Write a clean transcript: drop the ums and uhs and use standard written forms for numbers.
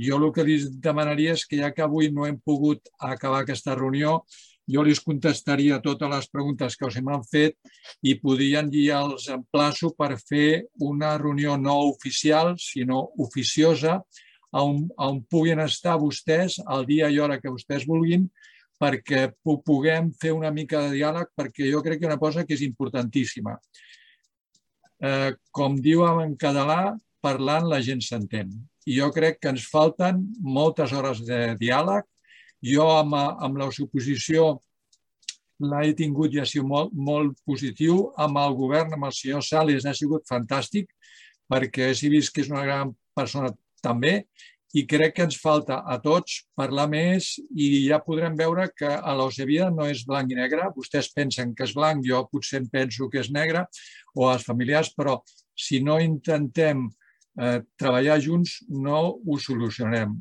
Jo el que li demanaria és que, ja que avui no hem pogut acabar aquesta reunió, jo li contestaria totes les preguntes que us m'han fet i podrien ja els emplaço per fer una reunió no oficial, sinó oficiosa, on puguin estar vostès el dia i hora que vostès vulguin, perquè puguem fer una mica de diàleg, perquè jo crec que una cosa que és importantíssima. Com diu en català, parlant la gent s'entén. I jo crec que ens falten moltes hores de diàleg. Jo amb la suposició l'he tingut i ha sigut molt positiu. Amb el govern, amb el senyor Sales, ha sigut fantàstic, perquè he vist que és una gran persona també, i crec que ens falta a tots parlar més i ja podrem veure que a l'Ocevia no és blanc i negre. Vostès pensen que és blanc, jo potser penso que és negre, o els familiars, però si no intentem treballar junts no ho solucionem.